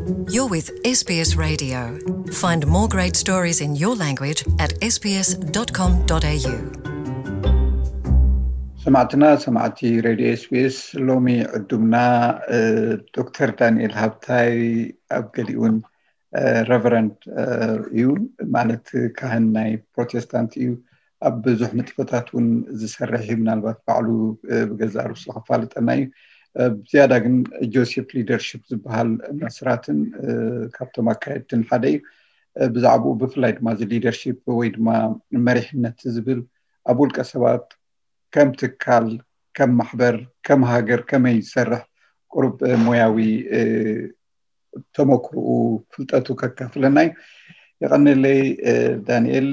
You're with S B S Radio. Find more great stories in your language at S B S dot com dot A U. ሰማዕትና ሰማዕቲ ሬድዮ ኤስቢኤስ፣ ሎሚ ዕዱምና ዶክተር ዳንኤል ሃብታይ ኣብ ገሊኡን ረቨረንድ እዩ፣ ማለት ካህን ናይ ፕሮቴስታንት እዩ። ኣብ ብዙሕ ንጥፈታት እውን ዝሰርሕ እዩ። ምናልባት ባዕሉ ብገዛእ ርእሱ ከፋልጠና እዩ። ብዝያዳ ግን ጆሴፍ ሊደርሽፕ ዝበሃል መስራትን ካብቶም ኣካየድትን ሓደ እዩ። ብዛዕባኡ ብፍላይ ድማ እዚ ሊደርሽፕ ወይ ድማ መሪሕነት ዝብል ኣብ ውልቀ ሰባት ከም ትካል፣ ከም ማሕበር፣ ከም ሃገር ከመይ ዝሰርሕ ቁሩብ ሞያዊ ተመክርኡ፣ ፍልጠቱ ከካፍለና እዩ። የቐንለይ ዳንኤል፣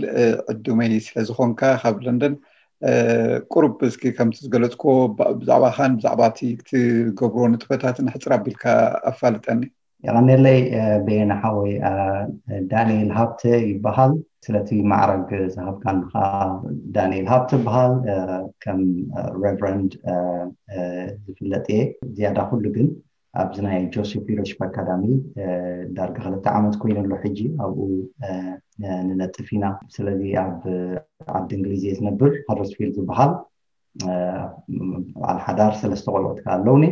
ዕዱመይ ስለዝኾንካ ካብ ለንደን። ቁሩብ እስኪ ከምቲ ዝገለጽኮ ብዛዕባኻን ብዛዕባ እቲ ትገብሮ ንጥፈታትን ሕፅር ኣቢልካ ኣፋልጠኒ። የቐንለይ በየነ ሓወይ። ዳንኤል ሃብተ ይበሃል። ስለቲ ማዕረግ ዝሃብካን ከዓ ዳንኤል ሃብተ ይበሃል። ከም ሬቨረንድ ዝፍለጥ እየ። ዝያዳ ኩሉ ግን ኣብዚ ናይ ጆሴፍ ሊደርሽፕ ኣካዳሚ ዳርጋ ክልተ ዓመት ኮይኑ ኣሎ ሕጂ ኣብኡ ንነጥፍ ኢና። ስለዚ ኣብ ዓዲ እንግሊዝ እየ ዝነብር፣ ሃደርስፊልድ ዝበሃል። በዓል ሓዳር ሰለስተ ቆልዑት ከዓ ኣለውኒ።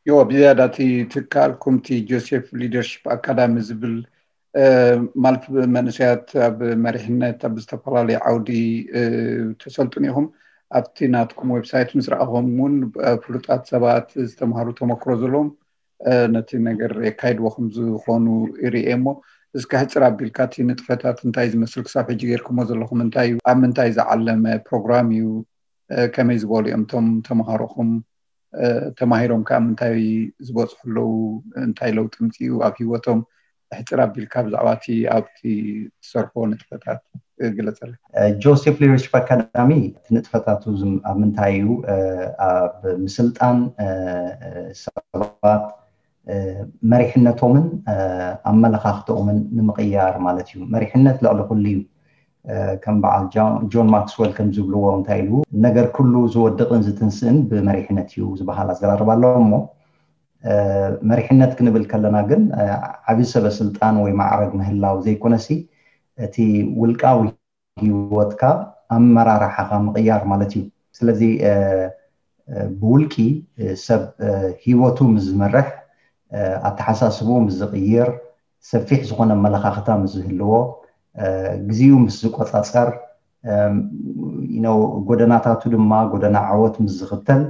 ዮ ብዝያዳ እቲ ትካልኩም እቲ ጆሴፍ ሊደርሽፕ ኣካዳሚ ዝብል ማለት መንእሰያት ኣብ መሪሕነት ኣብ ዝተፈላለዩ ዓውዲ ተሰልጥኑ ኢኹም። ኣብቲ ናትኩም ዌብሳይት ምስ ረኣኹም እውን ፍሉጣት ሰባት ዝተምሃሩ ተመክሮ ዘለዎም ነቲ ነገር የካይድዎ ከም ዝኾኑ ይርኤ እሞ እስከ ሕፅር ኣቢልካ እቲ ንጥፈታት እንታይ ዝመስል ክሳብ ሕጂ ጌርኩሞ ዘለኹም እንታይ እዩ፣ ኣብ ምንታይ ዝዓለመ ፕሮግራም እዩ፣ ከመይ ዝበሉ እዮም እቶም ተምሃሮኹም ተማሂሮም ከዓ ምንታይ ዝበፅሑ ኣለዉ፣ እንታይ ለውጢ ምፅኡ ኣብ ሂወቶም፣ ሕፅር ኣቢልካ ብዛዕባ እቲ ኣብቲ ትሰርሖ ንጥፈታት ግለፀለይ። ጆሴፍ ሊደርሽፕ ኣካዳሚ እቲ ንጥፈታቱ ኣብ ምንታይ እዩ፣ ኣብ ምስልጣን ሰባት መሪሕነቶምን ኣመለኻኽተኦምን ንምቕያር ማለት እዩ። መሪሕነት ልዕሊ ኩሉ እዩ። ከም በዓል ጆን ማክስወል ከም ዝብልዎ እንታይ ኢሉ፣ ነገር ኩሉ ዝወድቕን ዝትንስእን ብመሪሕነት እዩ ዝበሃል ኣዘራርባ ኣሎ። እሞ መሪሕነት ክንብል ከለና ግን ዓብዪ ሰበ ስልጣን ወይ ማዕረግ ምህላው ዘይኮነሲ እቲ ውልቃዊ ህይወትካ ኣመራርሓኻ ምቕያር ማለት እዩ። ስለዚ ብውልቂ ሰብ ህይወቱ ምስ ዝመርሕ፣ ኣተሓሳስብኡ ምስ ዝቕይር፣ ሰፊሕ ዝኾነ ኣመለኻኽታ ምስ ዝህልዎ፣ ግዜኡ ምስ ዝቆጻጸር፣ ጎደናታቱ ድማ ጎደና ዓወት ምስ ዝኽተል፣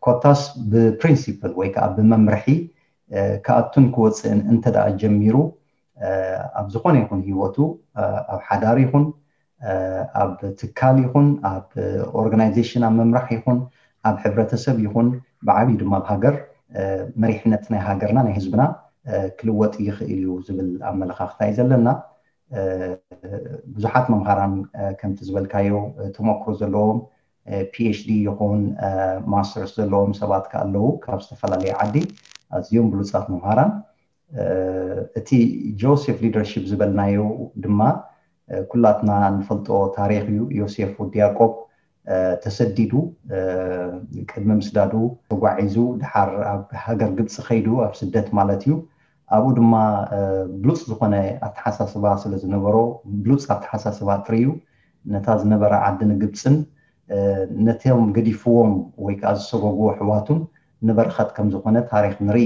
ኮታስ ብፕሪንሲፕል ወይ ከዓ ብመምርሒ ክኣቱን ክወፅእን እንተ ደኣ ጀሚሩ፣ ኣብ ዝኾነ ይኹን ህይወቱ፣ ኣብ ሓዳር ይኹን ኣብ ትካል ይኹን ኣብ ኦርጋናይዜሽን ኣብ ምምራሕ ይኹን ኣብ ሕብረተሰብ ይኹን ብዓብዩ ድማ ኣብ ሃገር፣ መሪሕነት ናይ ሃገርና ናይ ህዝብና ክልወጥ ይኽእል እዩ ዝብል ኣመለኻኽታ እዩ ዘለና። ብዙሓት መምሃራን ከምቲ ዝበልካዮ ተመክሮ ዘለዎም ፒኤችዲ ይኹን ማስተርስ ዘለዎም ሰባት ከ ኣለዉ ካብ ዝተፈላለየ ዓዲ፣ ኣዝዮም ብሉፃት መምሃራን። እቲ ጆሴፍ ሊደርሺፕ ዝበልናዮ ድማ ኩላትና ንፈልጦ ታሪኽ እዩ። ዮሴፍ ወዲ ያዕቆብ ተሰዲዱ ቅድሚ ምስዳዱ ተጓዒዙ ድሓር ኣብ ሃገር ግብፂ ከይዱ ኣብ ስደት ማለት እዩ። ኣብኡ ድማ ብሉፅ ዝኾነ ኣተሓሳስባ ስለ ዝነበሮ ብሉፅ ኣተሓሳስባ ጥርዩ ነታ ዝነበረ ዓዲ ንግብፅን ነቶም ገዲፍዎም ወይ ከዓ ዝሰጎግዎ ኣሕዋቱን ንበረኸት ከም ዝኾነ ታሪኽ ንርኢ።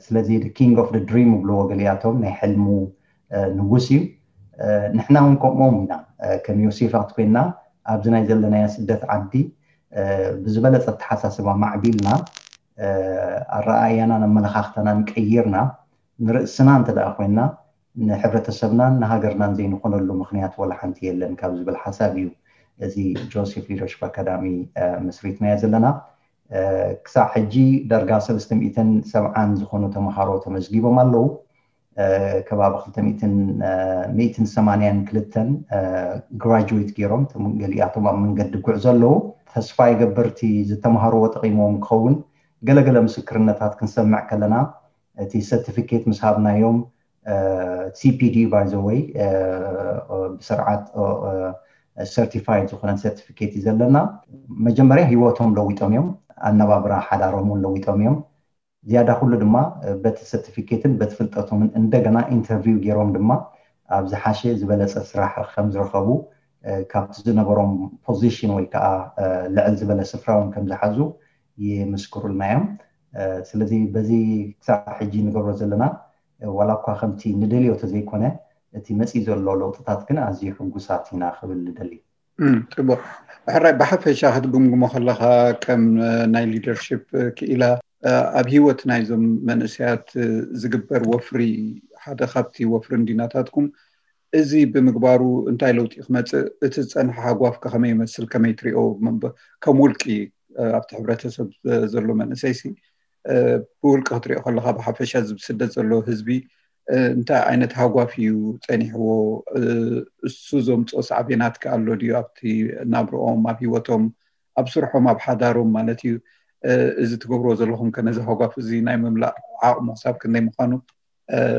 ስለዚ king of the dream ይብልዎ ገሊኣቶም፣ ናይ ሕልሙ ንጉስ እዩ። ንሕና እውን ከምኦም ኢና። ከም ዮሴፋት ኮይና ኣብዚ ናይ ዘለናዮ ስደት ዓዲ ብዝበለፀ ኣተሓሳስባ ማዕቢልና ኣረኣእያናን ኣመለኻኽታናን ቀይርና ንርእስና እንተ ደኣ ኮይና ንሕብረተሰብናን ንሃገርናን ዘይንኾነሉ ምኽንያት ወላ ሓንቲ የለን ካብ ዝብል ሓሳብ እዩ እዚ ጆሴፍ ሊደርሽፕ ኣካዳሚ መስሪትናዮ ዘለና። ክሳዕ ሕጂ ዳርጋ ሰለስተ ሚእትን ሰብዓን ዝኾኑ ተምሃሮ ተመዝጊቦም ኣለዉ። ከባቢ ክልተ ሚእትን ሚእትን ሰማንያን ክልተን ግራጁዌት ገይሮም፣ ገሊኣቶም ኣብ መንገዲ ጉዕዞ ኣለዉ። ተስፋ ይገብር እቲ ዝተምሃርዎ ጠቒምዎም ክኸውን። ገለገለ ምስክርነታት ክንሰምዕ ከለና እቲ ሰርቲፊኬት ምስ ሃብናዮም፣ ሲፒዲ ባይ ዘ ወይ ብስርዓት ሰርቲፋይድ ዝኾነ ሰርቲፊኬት እዩ ዘለና። መጀመርያ ህይወቶም ለዊጦም እዮም፣ ኣነባብራ ሓዳሮም እውን ለዊጦም እዮም። ዝያዳ ኩሉ ድማ በቲ ሰርቲፊኬትን በቲ ፍልጠቶምን እንደገና ኢንተርቪው ገይሮም ድማ ኣብ ዝሓሸ ዝበለፀ ስራሕ ከም ዝረኸቡ ካብቲ ዝነበሮም ፖዚሽን ወይ ከዓ ልዕል ዝበለ ስፍራ እውን ከም ዝሓዙ ይምስክሩልና እዮም። ስለዚ በዚ ክሳዕ ሕጂ ንገብሮ ዘለና ዋላ እኳ ከምቲ ንደልዮ ተዘይኮነ እቲ መፂ ዘሎ ለውጥታት ግን ኣዝዩ ሕጉሳት ኢና ክብል ንደሊ። ፅቡቅ። ሕራይ ብሓፈሻ ክትግምግሞ ከለካ ከም ናይ ሊደርሽፕ ክኢላ ኣብ ሂወት ናይዞም መንእሰያት ዝግበር ወፍሪ ሓደ ካብቲ ወፍሪ እንዲናታትኩም እዚ ብምግባሩ እንታይ ለውጢ ክመፅእ እቲ ዝፀንሐ ሃጓፍ ከመይ ይመስል ከመይ ትሪኦ? ከም ውልቂ ኣብቲ ሕብረተሰብ ዘሎ መንእሰይ ሲ ብውልቂ ክትሪኦ ከለካ ብሓፈሻ እዚ ብስደት ዘሎ ህዝቢ እንታይ ዓይነት ሃጓፍ እዩ ፀኒሕዎ? እሱ ዘምፅኦ ሳዕቤናት ከ ኣሎ ድዩ ኣብቲ ናብርኦም ኣብ ሂወቶም ኣብ ስርሖም ኣብ ሓዳሮም ማለት እዩ? እዚ ትገብርዎ ዘለኹም ከ ነዚ ሃጓፍ እዚ ናይ ምምላእ ዓቕሙ ክሳብ ክንደይ ምዃኑ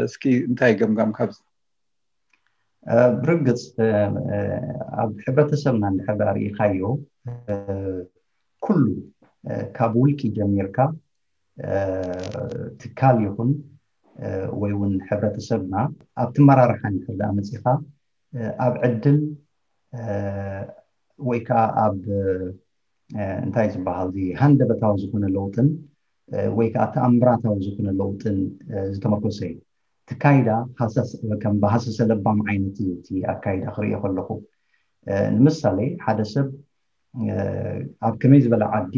እስኪ እንታይ ገምጋም ካብዚ? ብርግፅ ኣብ ሕብረተሰብና እንድሕር ርኢኻዮ ኩሉ ካብ ውልቂ ጀሚርካ ትካል ይኹን ወይ እውን ሕብረተሰብና ኣብቲ መራርሓ እንድሕር ደኣ መፂኻ ኣብ ዕድል ወይ ከዓ ኣብ እንታይ ዝበሃል እዚ ሃንደበታዊ ዝኾነ ለውጥን ወይ ከዓ ተኣምራታዊ ዝኾነ ለውጥን ዝተመርኮሰ እዩ። ትካይዳ ከም ብሃሰሰ ለባም ዓይነት እዩ እቲ ኣካይዳ ክርእዮ ከለኹ። ንምሳሌ ሓደ ሰብ ኣብ ከመይ ዝበለ ዓዲ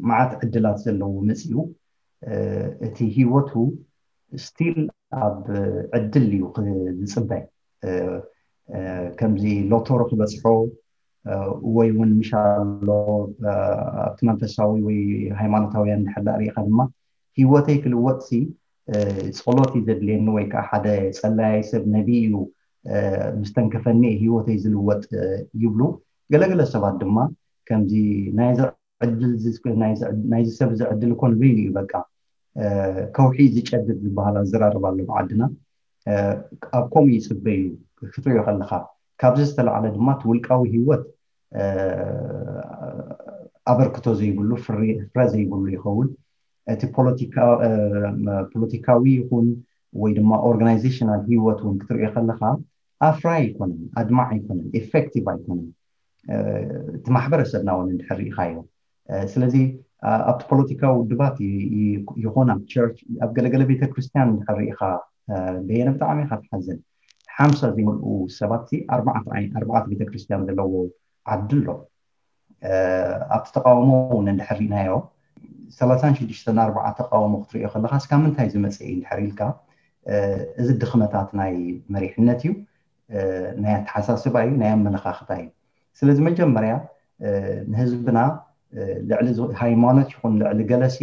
መዓት ዕድላት ዘለዎ መፂኡ እቲ ሂወቱ ስቲል ኣብ ዕድል እዩ ዝፅበ። ከምዚ ሎቶሮ ክበፅሖ ወይ እውን ምሻሎ ኣብቲ መንፈሳዊ ወይ ሃይማኖታውያን እንድሕር ሪኢካ ድማ ሂወተይ ክልወጥ ሲ ጸሎት እዩ ዘድልየኒ ወይ ከዓ ሓደ ጸላያይ ሰብ ነቢ እዩ ምስተንከፈኒ ሂወተይ ዝልወጥ ይብሉ። ገለገለ ሰባት ድማ ከምዚ ናይዚ ሰብ እዚ ዕድል እኮ ንበይኑ እዩ በቃ ከውሒ ዝጨድድ ዝበሃል ኣዘራርባ ኣሎ ብዓድና። ኣብ ከምኡ ይፅበ እዩ ክትሪኦ ከለካ። ካብዚ ዝተላዕለ ድማ እቲ ውልቃዊ ሂወት ኣበርክቶ ዘይብሉ ፍረ ዘይብሉ ይኸውን። እቲ ፖለቲካዊ ይኹን ወይ ድማ ኦርጋናይዜሽናል ሂወት እውን ክትሪኦ ከለካ ኣፍራይ ኣይኮነን፣ ኣድማዕ ኣይኮነን፣ ኤፌክቲቭ ኣይኮነን። እቲ ማሕበረሰብና እውን እንድሕር ርኢኻዮ። ስለዚ ኣብቲ ፖለቲካዊ ውድባት ይኹን ኣብ ቸርች ኣብ ገለገለ ቤተክርስትያን እንድሕር ርኢኻ በየነ ብጣዕሚ ኢኻ ትሓዝን። ሓምሳ ዘይመልኡ ሰባት ኣርባዕተ ቤተክርስትያን ዘለዎ ዓዲ ኣሎ። ኣብቲ ተቃውሞ እውን እንድሕር ርኢናዮ ሰላሳን ሽዱሽተን ኣርባዓ ተቃውሞ ክትሪኦ ከለካ እስካብ ምንታይ ዝመፀ እዩ እንድሕር ኢልካ እዚ ድኽመታት ናይ መሪሕነት እዩ፣ ናይ ኣተሓሳስባ እዩ፣ ናይ ኣመለኻኽታ እዩ። ስለዚ መጀመርያ ንህዝብና ልዕሊ ሃይማኖት ይኹን ልዕሊ ገለሲ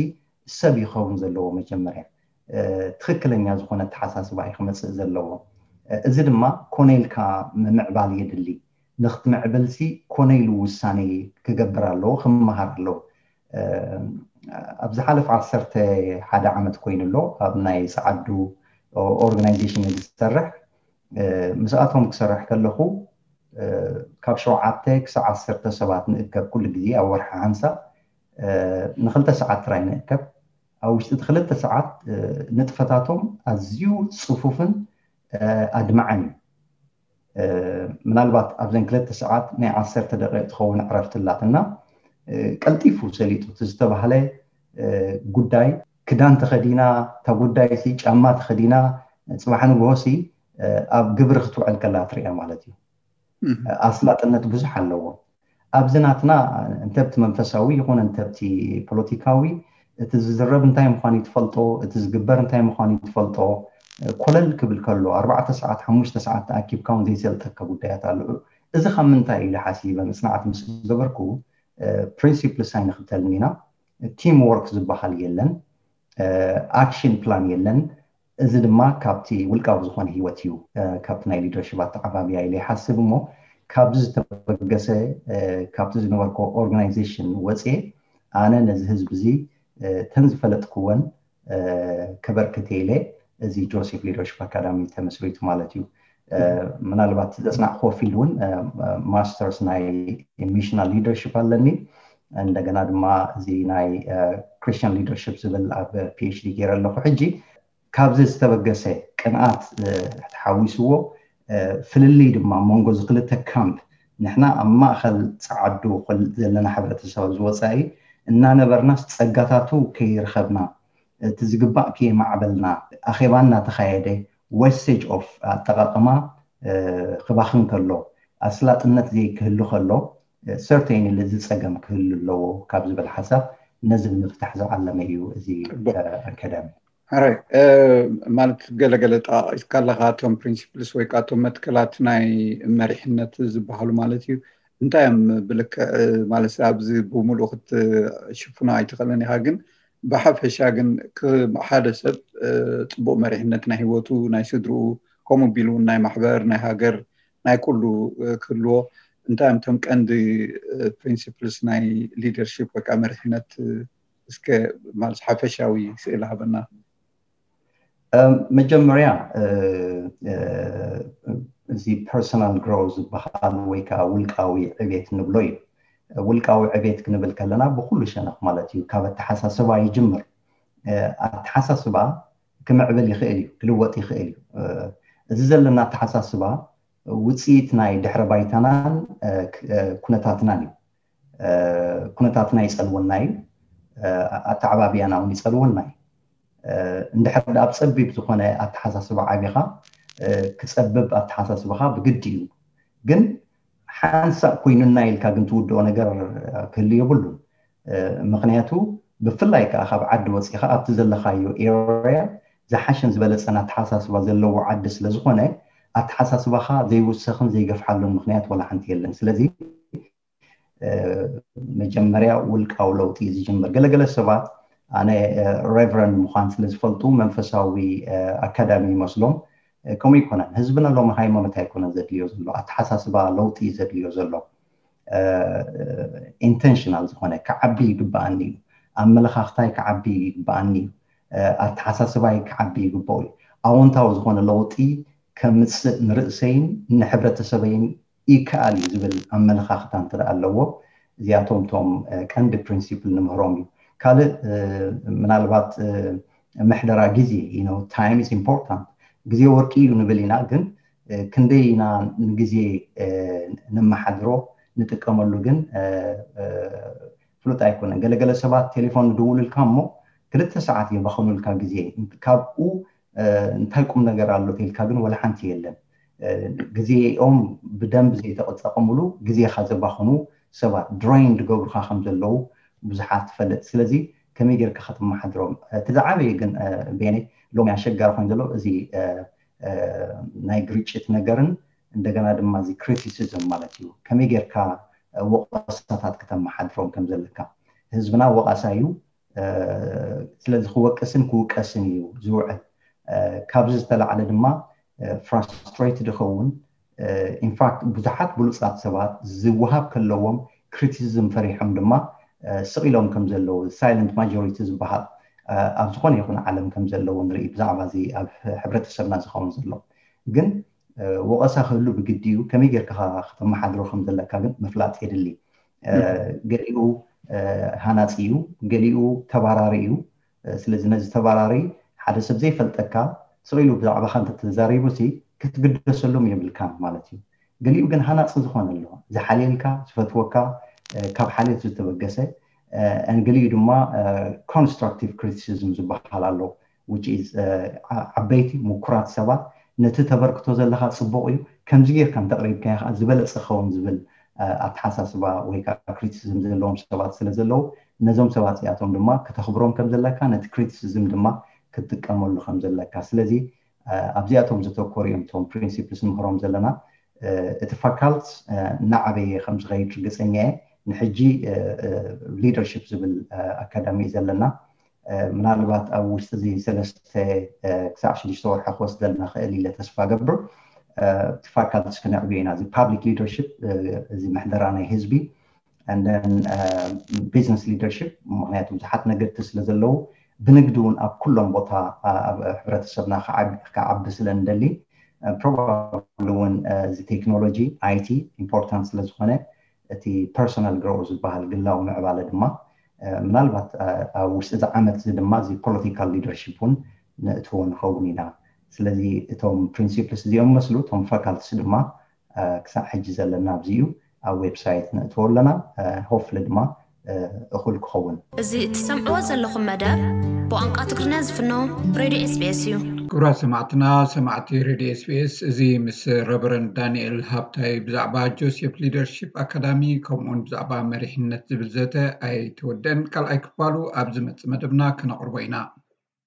ሰብ ይኸውን ዘለዎ መጀመርያ ትኽክለኛ ዝኾነ ኣተሓሳስባ እዩ ክመፅእ ዘለዎ። እዚ ድማ ኮነ ኢልካ ምምዕባል የድሊ። ንክትምዕብል ሲ ኮነ ኢሉ ውሳኔ ክገብር ኣለዎ፣ ክመሃር ኣለዎ። ኣብ ዝሓለፈ ዓሰርተ ሓደ ዓመት ኮይኑ ኣሎ ኣብ ናይ ጸዓዱ ኦርጋናይዜሽን ዝሰርሕ። ምስኣቶም ክሰርሕ ከለኹ ካብ ሸውዓተ ክሳብ ዓሰርተ ሰባት ንእከብ ኩሉ ግዜ ኣብ ወርሒ ሓንሳብ ንክልተ ሰዓት ጥራይ ንእከብ። ኣብ ውሽጢ እቲ ክልተ ሰዓት ንጥፈታቶም ኣዝዩ ጽፉፍን ኣድማዕን እዩ። ምናልባት ኣብዘን ክልተ ሰዓት ናይ ዓሰርተ ደቂቕ ትኸውን ዕረፍቲ ኣላትና። ቀልጢፉ ሰሊጡ እቲ ዝተባህለ ጉዳይ ክዳን ተኸዲና እታ ጉዳይ ሲ ጫማ ተኸዲና ጽባሕ ንግሆ ሲ ኣብ ግብሪ ክትውዕል ከላ ትሪኣ ማለት እዩ። ኣስላጥነት ብዙሕ ኣለዎ። ኣብዚ ናትና እንተብቲ መንፈሳዊ ይኹን እንተብቲ ፖለቲካዊ እቲ ዝዝረብ እንታይ ምዃኑ ትፈልጦ፣ እቲ ዝግበር እንታይ ምዃኑ ትፈልጦ። ኮለል ክብል ከሎ ኣርባዕተ ሰዓት ሓሙሽተ ሰዓት ተኣኪብካ እውን ዘይሰልጠካ ጉዳያት ኣለዑ። እዚ ካብ ምንታይ ኢለ ሓሲበ መፅናዕቲ ምስ ገበርኩ ፕሪንሲፕልስ ኣይንኽተልን ኢና። ቲም ወርክ ዝበሃል የለን፣ ኣክሽን ፕላን የለን። እዚ ድማ ካብቲ ውልቃዊ ዝኾነ ህይወት እዩ፣ ካብቲ ናይ ሊደርሽፕ ኣተዓባብያ ኢለ ይሓስብ። እሞ ካብዚ ዝተበገሰ ካብቲ ዝነበርኮ ኦርጋናይዜሽን ወፅየ ኣነ ነዚ ህዝቢ እዚ ተን ዝፈለጥክወን ከበርክት ኢለ እዚ ጆሴፍ ሊደርሽፕ ኣካዳሚ ተመስሪቱ ማለት እዩ። ምናልባት ዘፅናዕክዎ ፊልድ እውን ማስተርስ ናይ ሚሽናል ሊደርሽፕ ኣለኒ። እንደገና ድማ እዚ ናይ Christian Leadership ዝብል ኣብ PhD ገይረ ኣለኹ። ሕጂ ካብዚ ዝተበገሰ ቅንኣት ተሓዊስዎ ፍልልይ ድማ መንጎ እዚ ክልተ ካምፕ፣ ንሕና ኣብ ማእኸል ፃዓዱ ዘለና ሕብረተሰብ ኣብዚ ወፃኢ እናነበርናስ ጸጋታቱ ከይረኸብና፣ እቲ ዝግባእ ከየማዕበልና፣ ኣኼባ እናተኻየደ wastage of ኣጠቓቕማ ክባኽን ከሎ፣ ኣስላጥነት ዘይክህሉ ከሎ፣ certainly እዚ ጸገም ክህሉ ኣለዎ ካብ ዝብል ሓሳብ ነዚ ንምፍታሕ ዝዓለመ እዩ እዚ ኣካዳሚ። ሕራይ ማለት ገለገለ ጠቃቂስካ ኣለካ፣ እቶም principles ወይ ከዓ እቶም መትከላት ናይ መሪሕነት ዝበሃሉ ማለት እዩ። እንታይ እዮም ብልክዕ ማለት ኣብዚ ብምሉእ ክትሽፍኖ ኣይትኽእልን ኢኻ፣ ግን ብሓፈሻ ግን ሓደ ሰብ ፅቡቅ መሪሕነት ናይ ህይወቱ ናይ ስድርኡ ከምኡ ቢሉ ናይ ማሕበር ናይ ሃገር ናይ ኩሉ ክህልዎ እንታይ እዮም እቶም ቀንዲ principles ናይ leadership ወይ ከዓ መሪሕነት? እስከ ማለት ሓፈሻዊ ስእሊ ሃበና። መጀመርያ እዚ personal growth ዝበሃል ወይ ከዓ ውልቃዊ ዕቤት ንብሎ እዩ። ውልቃዊ ዕቤት ክንብል ከለና ብኩሉ ሸነኽ ማለት እዩ። ካብ ኣተሓሳስባ ይጅምር። ኣተሓሳስባ ክምዕብል ይኽእል እዩ፣ ክልወጥ ይኽእል እዩ። እዚ ዘለና ኣተሓሳስባ ውፅኢት ናይ ድሕረ ባይታናን ኩነታትናን እዩ። ኩነታትና ይፀልወና እዩ፣ ኣተዓባቢያና እውን ይፀልወና እዩ። እንድሕር ኣብ ፀቢብ ዝኾነ ኣተሓሳስባ ዓቢኻ ክፀብብ ኣተሓሳስባኻ ብግዲ እዩ። ግን ሓንሳእ ኮይኑና ኢልካ ግን ትውድኦ ነገር ክህሉ የብሉን። ምክንያቱ ብፍላይ ከዓ ካብ ዓዲ ወፂኻ ኣብቲ ዘለኻዮ area ዝሓሸን ዝበለፀን ኣተሓሳስባ ዘለዎ ዓዲ ስለዝኾነ ኣተሓሳስባኻ ዘይውሰኽን ዘይገፍሓሉን ምክንያት ወላ ሓንቲ የለን። ስለዚ መጀመርያ ውልቃዊ ለውጢ እዩ ዝጅምር። ገለገለ ሰባት ኣነ ሬቨረንድ ምዃን ስለ ዝፈልጡ መንፈሳዊ ኣካዳሚ ይመስሎም። ከምኡ ይኮነን። ህዝብና ሎሚ ሃይማኖት ኣይኮነን ዘድልዮ ዘሎ፣ ኣተሓሳስባ ለውጢ እዩ ዘድልዮ ዘሎ። ኢንተንሽናል ዝኾነ ክዓቢ ይግበኣኒ እዩ፣ ኣመለኻኽታይ ክዓቢ ይግበኣኒ እዩ፣ ኣተሓሳስባይ ክዓቢ ይግበኦ እዩ። ኣወንታዊ ዝኾነ ለውጢ ከምፅእ ንርእሰይን ንሕብረተሰበይን ይከኣል እዩ ዝብል ኣመለኻኽታ እንተ ኣለዎ፣ እዚኣቶም ቶም ቀንዲ ፕሪንሲፕል ንምህሮም እዩ። ካልእ ምናልባት ምሕደራ ግዜ፣ time is important፣ ግዜ ወርቂ እዩ ንብል ኢና፣ ግን ክንደይ ኢና ንግዜ ነመሓድሮ ንጥቀመሉ ግን ፍሉጥ ኣይኮነን። ገለገለ ሰባት ቴሌፎን ይድውሉልካ እሞ ክልተ ሰዓት የባኽኑልካ ግዜ። ካብኡ እንታይ ቁም ነገር ኣሎ ተልካ ግን ወላ ሓንቲ የለን። ግዜኦም ብደንብ ዘይተጠቀምሉ ግዜኻ ዘባኽኑ ሰባት፣ ድሬይን ዝገብሩካ ከም ዘለዉ ብዙሓት ትፈልጥ። ስለዚ ከመይ ጌርካ ከተመሓድሮም? እቲ ዝዓበየ ግን ቤነ ሎሚ ኣሸጋሪ ኮይኑ ዘሎ እዚ ናይ ግርጭት ነገርን እንደገና ድማ እዚ ክሪቲሲዝም ማለት እዩ። ከመይ ጌርካ ወቀሳታት ከተመሓድሮም ከም ዘለካ። ህዝብና ወቃሳ እዩ። ስለዚ ክወቅስን ክውቀስን እዩ ዝውዕል። ካብዚ ዝተላዕለ ድማ ፍራስትሬትድ ይኸውን። ኢንፋክት ብዙሓት ብሉፃት ሰባት ዝወሃብ ከለዎም ክሪቲሲዝም ፈሪሖም ድማ ስቕ ኢሎም ከም ዘለዉ፣ ሳይለንት ማጆሪቲ ዝበሃል ኣብ ዝኾነ ይኹን ዓለም ከም ዘለዉ ንርኢ። ብዛዕባ እዚ ኣብ ሕብረተሰብና ዝኸውን ዘሎ ግን ወቐሳ ክህሉ ብግዲ እዩ። ከመይ ጌርካ ከተመሓድሮ ከም ዘለካ ግን ምፍላጥ የድሊ። ገሊኡ ሃናፂ እዩ፣ ገሊኡ ተባራሪ እዩ። ስለዚ ነዚ ተባራሪ ሓደ ሰብ ዘይፈልጠካ ስቕ ኢሉ ብዛዕባኻ እንተተዛሪቡ ሲ ክትግደሰሎም የብልካን ማለት እዩ። ገሊኡ ግን ሃናፂ ዝኾነ ኣሎ፣ ዝሓልየልካ፣ ዝፈትወካ፣ ካብ ሓልዮት ዝተበገሰ፣ ገሊኡ ድማ ኮንስትራክቲቭ ክሪቲሲዝም ዝበሃል ኣሎ። Which is ዓበይቲ ምኩራት ሰባት ነቲ ተበርክቶ ዘለካ ፅቡቕ እዩ፣ ከምዚ ጌርካ እንተቕሪብካዮ ከዓ ዝበለፀ ክኸውን ዝብል ኣተሓሳስባ ወይ ከዓ ክሪቲሲዝም ዘለዎም ሰባት ስለ ዘለዉ ነዞም ሰባት እዚኣቶም ድማ ክተኽብሮም ከም ዘለካ፣ ነቲ ክሪቲሲዝም ድማ ክትጥቀመሉ ከም ዘለካ። ስለዚ ኣብዚኣቶም ዘተኮሩ እዮም እቶም ፕሪንሲፕልስ ንምህሮም ዘለና። እቲ ፋካልት እናዓበየ ከም ዝኸይድ ርግፀኛ እየ። ንሕጂ ሊደርሽፕ ዝብል ኣካዳሚ እዩ ዘለና። ምናልባት ኣብ ውሽጢ እዚ ሰለስተ ክሳብ ሽዱሽተ ወርሒ ክወስደልና ክእል ኢለ ተስፋ ገብር። እቲ ፋካልትስ ክነዕብዮ ኢና፣ እዚ ፓብሊክ ሊደርሽፕ፣ እዚ ምሕደራ ናይ ህዝቢ፣ ቢዝነስ ሊደርሽፕ፣ ምክንያቱ ብዙሓት ነገድቲ ስለ ዘለዉ ብንግዲ እውን ኣብ ኩሎም ቦታ ኣብ ሕብረተሰብና ክዓቢ ስለ ንደሊ፣ ፕሮባብሊ እውን እዚ ቴክኖሎጂ፣ IT ኢምፖርታንት ስለ ዝኾነ እቲ ፐርሶናል ግሮው ዝበሃል ግላዊ ምዕባለ ድማ ምናልባት ኣብ ውሽጢ እዚ ዓመት እዚ ድማ እዚ political leadership እውን ነእትዎ ንኸውን ኢና። ስለዚ እቶም principles እዚኦም መስሉ እቶም faculties ድማ ክሳብ ሕጂ ዘለና ኣብዚ እዩ። ኣብ website ነእትዎ ኣለና። Hopefully ድማ እኹል ክኸውን። እዚ እትሰምዕዎ ዘለኹም መደብ ብቋንቋ ትግርኛ ዝፍኖ ሬድዮ SBS እዩ። ክቡራት ሰማዕትና፣ ሰማዕቲ ሬድዮ SBS፣ እዚ ምስ ረቨረንድ ዳንኤል ሃብታይ ብዛዕባ ጆሴፍ ሊደርሺፕ ኣካዳሚ ከምኡውን ብዛዕባ መሪሕነት ዝብል ዘተ ኣይተወደን። ካልኣይ ክፋሉ ኣብ ዝመጽእ መደብና ከነቕርቦ ኢና።